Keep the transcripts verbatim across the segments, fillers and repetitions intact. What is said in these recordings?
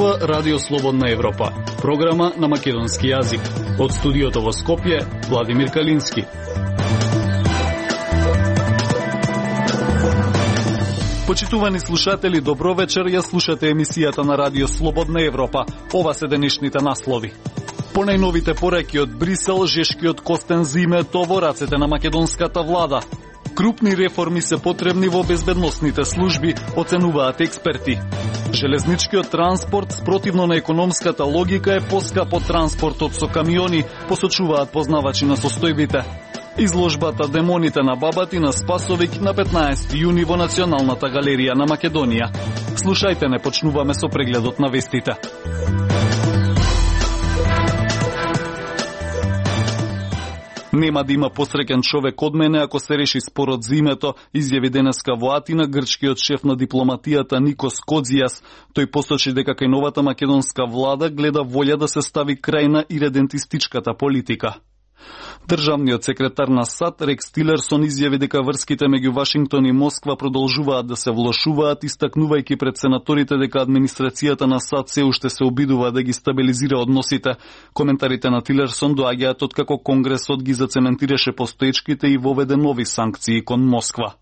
зборува Радио Слободна Европа, програма на македонски јазик. Од студиото во Скопје, Владимир Калински. Почитувани слушатели, добро вечер, ја слушате емисијата на Радио Слободна Европа. Ова се денешните наслови. По најновите пораки од Брисел, жешкиот костен зимето во рацете на македонската влада. Крупни реформи се потребни во безбедносните служби, оценуваат експерти. Железничкиот транспорт, спротивно на економската логика, е поскап од транспортот со камиони, посочуваат познавачи на состојбите. Изложбата Демоните на Бабатина Спасовик на петнаесети јуни во Националната галерија на Македонија. Слушајте, не почнуваме со прегледот на вестите. Нема да има посреќен човек од мене ако се реши спорот за името, изјави денеска во Атина грчкиот шеф на дипломатијата Никос Кодзијас. Тој посочи дека кај новата македонска влада гледа волја да се стави крај на иредентистичката политика. Државниот секретар на САД Рекс Тилерсон изјави дека врските меѓу Вашингтон и Москва продолжуваат да се влошуваат, истакнувајќи пред сенаторите дека администрацијата на САД се уште се обидува да ги стабилизира односите. Коментарите на Тилерсон доаѓаат откако Конгресот ги зацементираше постоечките и воведе нови санкции кон Москва.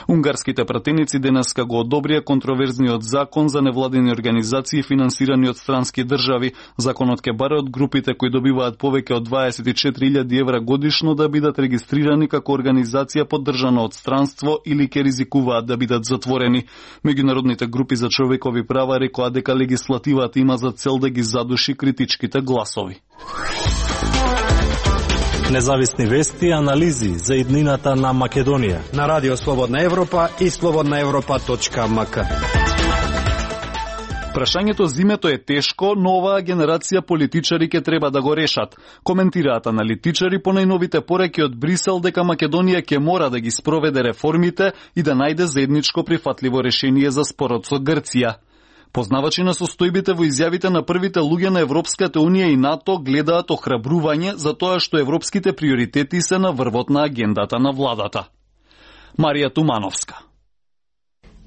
Унгарските пратеници денеска го одобрија контроверзниот закон за невладени организации финансирани од странски држави. Законот ќе баре од групите кои добиваат повеќе од дваесет и четири илјади евра годишно да бидат регистрирани како организација поддржана од странство или ќе ризикуваат да бидат затворени. Меѓународните групи за човекови права рекоа дека легислативата има за цел да ги задуши критичките гласови. Независни вести и анализи за иднината на Македонија на Радио Слободна Европа и слободна европа точка ем ка. Прашањето зимето е тешко, но оваа генерација политичари ќе треба да го решат. Коментираат аналитичари по најновите пораки од Брисел дека Македонија ќе мора да ги спроведе реформите и да најде заедничко прифатливо решение за спорот со Грција. Познавачи на состојбите во изјавите на првите луѓе на Европската Унија и НАТО гледаат охрабрување за тоа што европските приоритети се на врвот на агендата на владата. Марија Тумановска.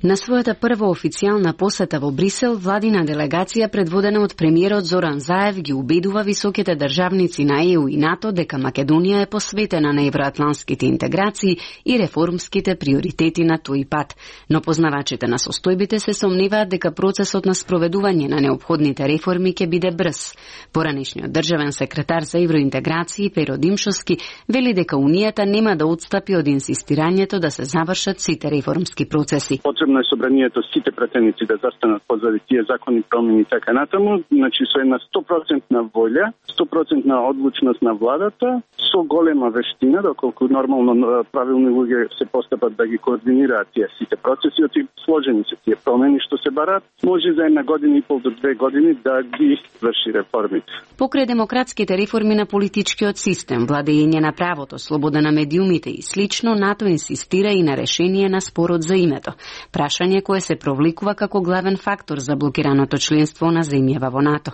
На својата прва официјална посета во Брисел, владина делегација предводена од премиерот Зоран Заев ги убедува високите државници на Е У и НАТО дека Македонија е посветена на евроатлантските интеграции и реформските приоритети на тој пат. Но познавачите на состојбите се сомневаат дека процесот на спроведување на неопходните реформи ќе биде брз. Поранешниот државен секретар за евроинтеграции Перо Димшовски вели дека Унијата нема да отстапи од инсистирањето да се завршат сите реформски процеси. Потребно е собранието сите пратеници да застанат позади тие закони промени и така натаму, значи со една сто проценти волја, сто проценти одлучност на владата, со голема вештина, доколку нормално правилни луѓе се постапат да ги координираат тие сите процеси, оти сложени се тие промени што се барат, може за една година и пол до две години да ги врши реформите. Покрај демократските реформи на политичкиот систем, владење на правото, слобода на медиумите и слично, НАТО инсистира и на решение на спорот за името. Прашање кое се провликува како главен фактор за блокираното членство на земјава во НАТО.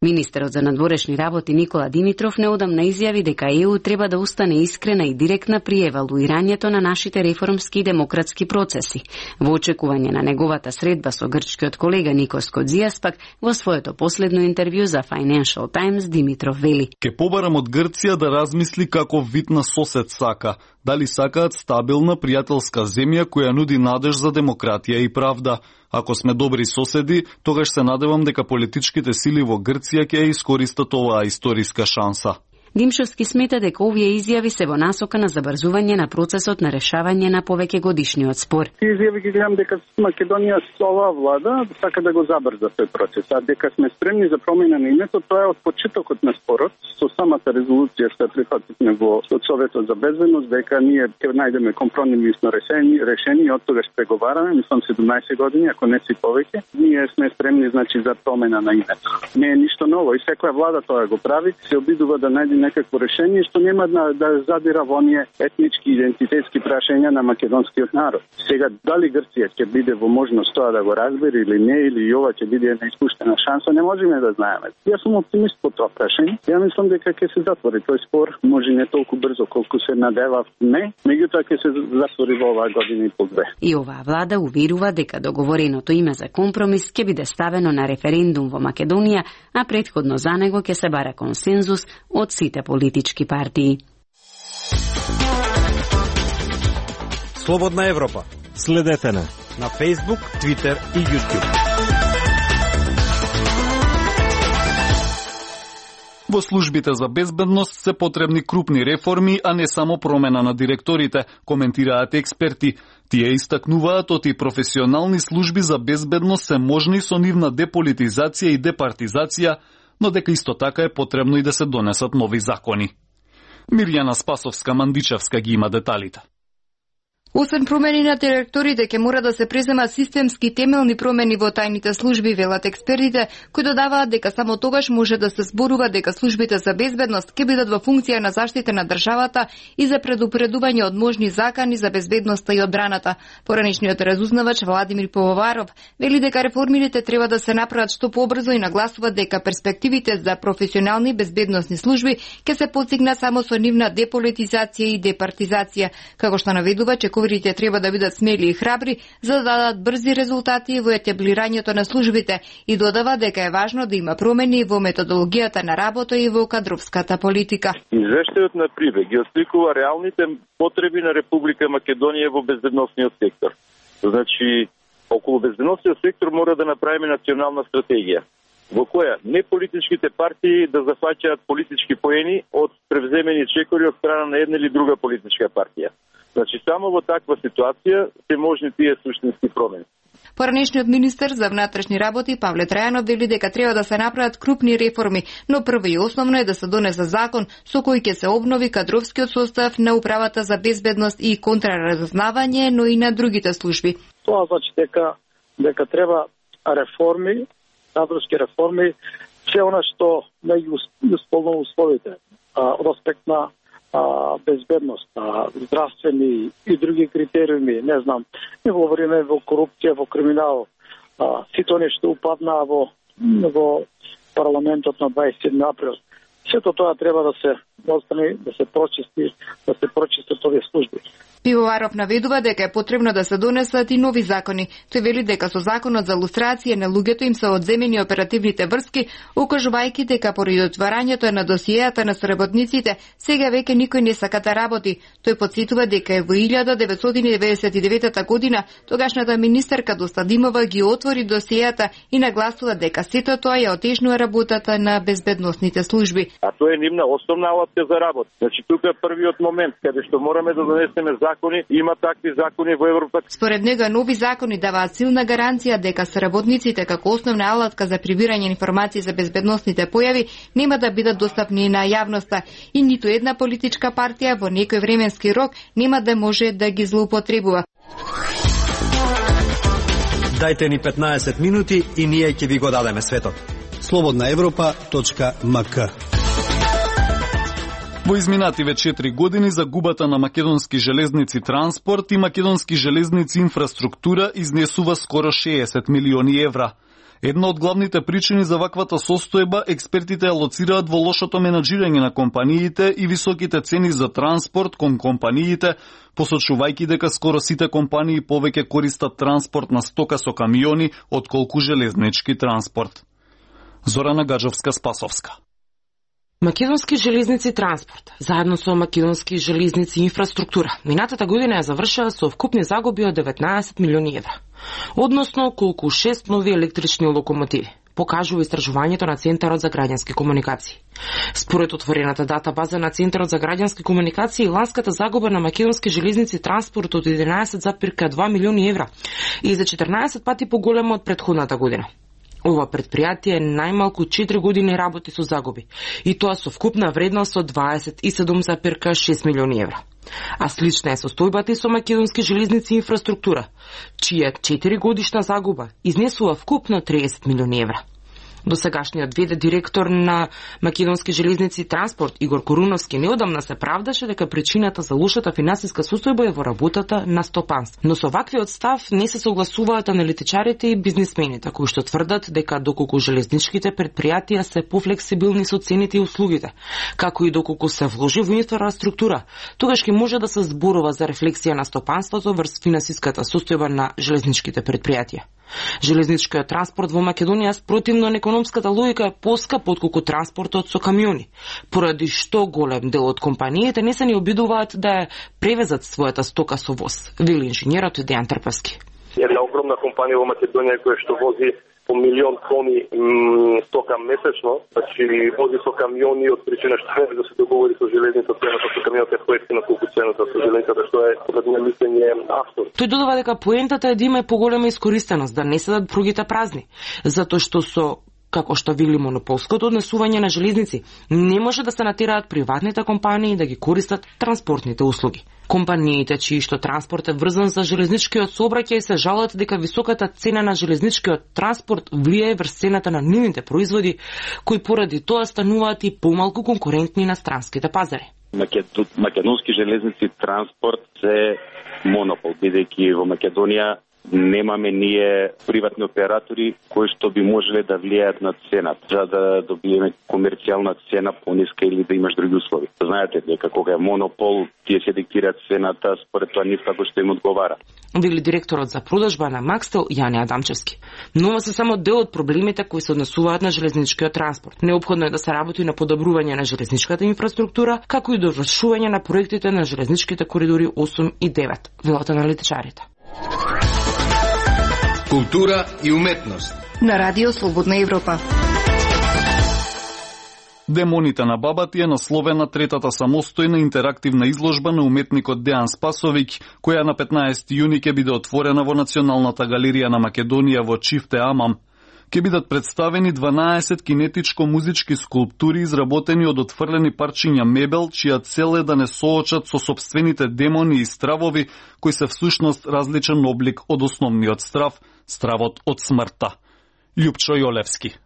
Министерот за надворешни работи Никола Димитров неодамна изјави дека Е У треба да устане искрена и директна при евалуирањето на нашите реформски и демократски процеси. Во очекување на неговата средба со грчкиот колега Никос Кодзијас пак во своето последно интервју за Financial Times Димитров вели: Ке побарам од Грција да размисли како вид на сосед сака. Дали сакаат стабилна, пријателска земја која нуди надеж за демократија и правда. Ако сме добри соседи, тогаш се надевам дека политичките сили во Грција ќе ја искористат оваа историска шанса. Димшовски смета дека овие изјави се во насока на забрзување на процесот на решавање на повеќе годишниот спор. Тие изјави ги гледам дека Македонија со оваа влада сака да го забрза тој процес, а дека сме спремни за промена на името, тоа е од почетокот на спорот, со самата резолуција што ја прифативме во Советот за безбедност, дека ние ќе најдеме компромисно решение, решение од тогаш преговараме, мислам седумнаесет години, ако не си повеќе, ние сме спремни значи за промена на името. Не е ништо ново и секоја влада тоа го прави, се обидува да најде некакво решение што нема да, да задира во оние етнички идентитетски прашања на македонскиот народ. Сега дали Грција ќе биде во можност тоа да го разбере или не, или ова ќе биде една испуштена шанса, не можеме да знаеме. Јас сум оптимист по тоа прашање. Ја мислам дека ќе се затвори тој спор, може не толку брзо колку се надевав, не, меѓутоа ќе се затвори во оваа година и по две. И оваа влада уверува дека договореното име за компромис ќе биде ставено на референдум во Македонија, а претходно за него ќе се бара консензус од сите политички партии. Слободна Европа. Следете на на Facebook, Twitter и YouTube. Во службите за безбедност се потребни крупни реформи, а не само промена на директорите, коментираат експерти. Тие истакнуваат оти професионални служби за безбедност се можни со нивна деполитизација и департизација, но дека исто така е потребно и да се донесат нови закони. Мирјана Спасовска-Мандичевска ги има деталите. Освен промени на директорите, ќе мора да се преземат системски темелни промени во тајните служби, велат експертите, кои додаваат дека само тогаш може да се зборува дека службите за безбедност ќе бидат во функција на заштита на државата и за предупредување од можни закани за безбедноста и одбраната. Поранешниот разузнавач Владимир Пивоваров вели дека реформите треба да се направат што побрзо и нагласува дека перспективите за професионални безбедносни служби ќе се постигнат само со нивна деполитизација и департизација, како што наведува че ковирите треба да бидат смели и храбри за да дадат брзи резултати во етаблирањето на службите и додава дека е важно да има промени во методологијата на работа и во кадровската политика. Извештајот на Прибе ги осликува реалните потреби на Република Македонија во безбедносниот сектор. Значи, околу безбедносниот сектор мора да направиме национална стратегија, во која не политичките партии да зафаќаат политички поени од превземени чекори од страна на една или друга политичка партија. Значи, само во таква ситуација се можни тие суштински промени. Поранешниот министер за внатрешни работи Павле Трајанов вели дека треба да се направат крупни реформи, но прво и основно е да се донесе закон со кој ќе се обнови кадровскиот состав на управата за безбедност и контраразузнавање, но и на другите служби. Тоа значи дека дека треба реформи, кадровски реформи, се она што не ги исполнува условите од аспект на А, безбедност, а, здравствени и други критериуми, не знам, не говориме во корупција, во криминал, а, сито нешто упадна во, во парламентот на дваесет и седми април. Сето тоа треба да се остане, да се прочисти, да се прочистат овие служби. Пивоваров наведува дека е потребно да се донесат и нови закони. Тој вели дека со законот за лустрација на луѓето им се одземени оперативните врски, укажувајќи дека поради отварањето на досиеата на соработниците, сега веќе никој не сака да работи. Тој потсетува дека во илјада деветстотини деветдесет и девета година тогашната министерка Достадимова ги отвори досиеата и нагласува дека сето тоа ја отежнува работата на безбедносните служби. А тоа е нивна основна алатка за работа. Значи тука е првиот момент каде што мораме да донесеме закони, има такви закони во Европа. Според него нови закони даваат силна гаранција дека соработниците како основна алатка за прибирање информации за безбедносните појави нема да бидат достапни на јавноста и ниту една политичка партија во некој временски рок нема да може да ги злоупотребува. Дајте ни петнаесет минути и ние ќе ви го дадеме светот. слободна европа точка ем ка. Во изминативе четири години загубата на Македонски железници транспорт и Македонски железници инфраструктура изнесува скоро шеесет милиони евра. Една од главните причини за ваквата состојба експертите алоцираат во лошото менаџирање на компаниите и високите цени за транспорт кон компаниите, посочувајќи дека скоро сите компании повеќе користат транспорт на стока со камиони отколку железнички транспорт. Зорана Гаджовска-Спасовска. Македонски железници транспорт, заедно со Македонски железници инфраструктура, минатата година ја завршила со вкупни загуби од деветнаесет милиони евра, односно околку шест нови електрични локомотиви, покажува истражувањето на Центарот за граѓански комуникации. Според отворената дата база на Центарот за граѓански комуникации, ланската загуба на Македонски железници транспорт од единаесет зарез два милиони евра и за четрнаесет пати поголема од претходната година. Ова предпријатие е најмалку четири години работи со загуби, и тоа со вкупна вредност од дваесет и седум зарез шест милиони евра. А слична е состојбата и со Македонски железници инфраструктура, чија четири годишна загуба изнесува вкупно триесет милиони евра. Досегашниот ве де директор на Македонски железници и транспорт Игор Коруновски неодамна се правдаше дека причината за лошата финансиска состојба е во работата на стопанство. Но со ваквиот став не се согласуваат аналитичарите и бизнисмените, кои што тврдат дека доколку железничките предпријатија се пофлексибилни со цените и услугите, како и доколку се вложи во инфраструктура, тогаш ќе може да се зборува за рефлексија на стопанството врз финансиската состојба на железничките предпријатија. Железничкиот транспорт во Македонија спротивно на економската логика е поскап отколку транспортот со камиони, поради што голем дел од компаниите не се ни обидуваат да ја превезат својата стока со воз, вели инженерот Дејан Трпевски. Една огромна компанија во Македонија која што вози по милион тони м, стока месечно, значи вози со камиони од причина што не да се договори со железница цената со камионот е поевтина колку цената со железницата, што е според моје мислење автор. Тој додава дека поентата е да има поголема искористеност, да не седат пругите празни, затоа што со како што вели монополското однесување на железници, не може да се натераат приватните компании да ги користат транспортните услуги. Компаниите чии што транспорт е врзан за железничкиот сообраќај се жалат дека високата цена на железничкиот транспорт влијае врз цената на нивните производи, кои поради тоа стануваат и помалку конкурентни на странските пазари. Македонски железници транспорт е монопол, бидејќи во Македонија немаме ние приватни оператори кои што би можеле да влијаат на цената, за да добиеме комерцијална цена пониска или да имаш други услови. Знаете дека кога е монопол, тие се диктираат цената според тоа нив како што им одговара. Вели директорот за продажба на Макстел Јане Адамчевски. Но ова се само дел од проблемите кои се однесуваат на железничкиот транспорт. Неопходно е да се работи на подобрување на железничката инфраструктура, како и довршување на проектите на железничките коридори осум и девет, велат аналитичарите. Култура и уметност на Радио Слободна Европа. Демоните на бабати е насловена третата самостојна интерактивна изложба на уметникот Дејан Спасовиќ, која на петнаесети јуни ќе биде отворена во Националната галерија на Македонија во Чифте Амам. Ке бидат представени дванаесет кинетичко-музички скулптури изработени од отфрлени парчиња мебел, чија цел е да не соочат со собствените демони и стравови, кои се всушност различен облик од основниот страв, стравот од смртта. Љупчо Јолевски.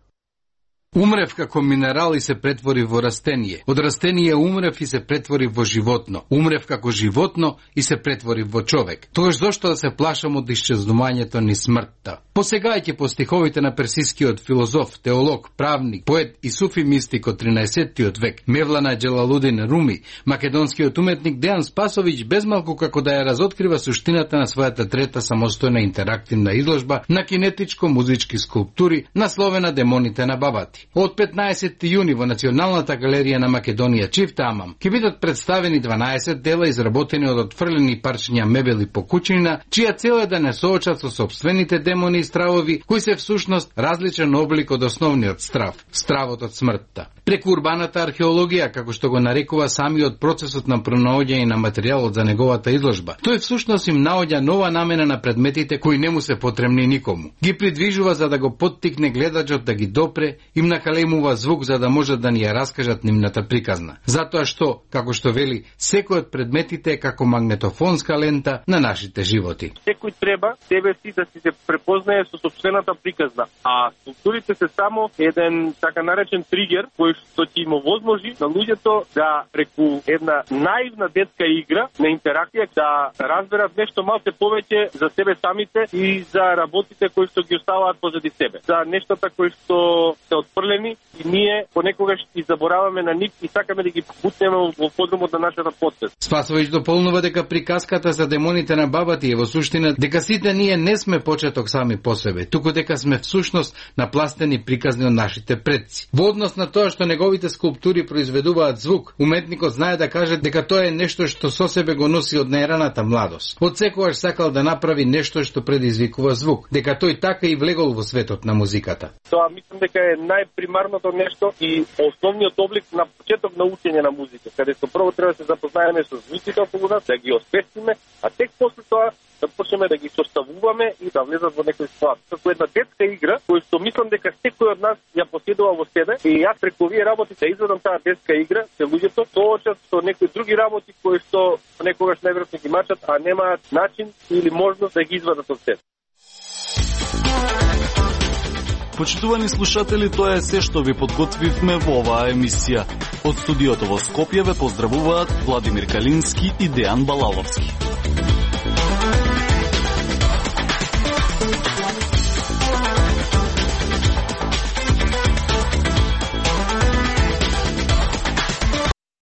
Умрев како минерал и се претвори во растение. Од растение умрев и се претвори во животно. Умрев како животно и се претвори во човек. Тогаш зошто да се плашам од исчезнувањето ни смртта? Посегајќи по стиховите на персискиот филозоф, теолог, правник, поет и суфи мистик од тринаесеттиот век, Мевлана Джелалудин Руми, македонскиот уметник Дејан Спасовиќ безмалку како да ја разоткрива суштината на својата трета самостојна интерактивна изложба на кинетичко-музички скулптури насловена Демоните на бабати. Од петнаесети јуни во Националната галерија на Македонија Чифте Амам ќе бидат представени дванаесет дела изработени од отфрлени парчиња мебели по куќина, чија цел е да не соочат со собствените демони и стравови, кои се всушност различен облик од основниот страв, стравот од смртта. Преку урбаната археологија, како што го нарекува самиот процесот на пронаоѓање на материјалот за неговата изложба, тој всушност им наоѓа нова намена на предметите кои не му се потребни никому. Ги придвижува за да го поттикне гледачот да ги допре, им накалемува звук за да можат да ни ја раскажат нивната приказна. Затоа што, како што вели, секој од предметите е како магнетофонска лента на нашите животи. Секој треба себе си да си се препознае со собствената приказна, а скулптурите се само еден така наречен тригер кој што ќе им овозможи на луѓето да преку една наивна детска игра на интеракција да разберат нешто малку повеќе за себе самите и за работите кои што ги оставаат позади себе. За нештата кои што се отфрлени и ние понекогаш и забораваме на нив и сакаме да ги бутнеме во подрумот на нашата подсвест. Спасовиќ дополнува дека приказката за демоните на бабати е во суштина дека сите ние не сме почеток сами по себе, туку дека сме всушност напластени приказни од нашите предци. Во однос на тоа што неговите скулптури произведуваат звук, уметникот знае да каже дека тоа е нешто што со себе го носи од најраната младост. Од секогаш сакал да направи нешто што предизвикува звук, дека тој така и влегол во светот на музиката. Тоа мислам дека е најпримарното нешто и основниот облик на почеток на учење на музика, каде што прво треба да се запознаеме со звуците околу нас, да ги освестиме, а тек после тоа да почнеме да ги составуваме и да влезат во некој склад. Како една детска игра, која што мислам дека секој од нас ја поседува во себе и јас преку овие работи да изведам таа детска игра, се луѓето соочат со некои други работи кои што некогаш најверојатно ги мачат, а немаат начин или можност да ги извадат од себе. Почитувани слушатели, тоа е се што ви подготвивме во оваа емисија. Од студиото во Скопје ве поздравуваат Владимир Калински и Дејан Балаловски.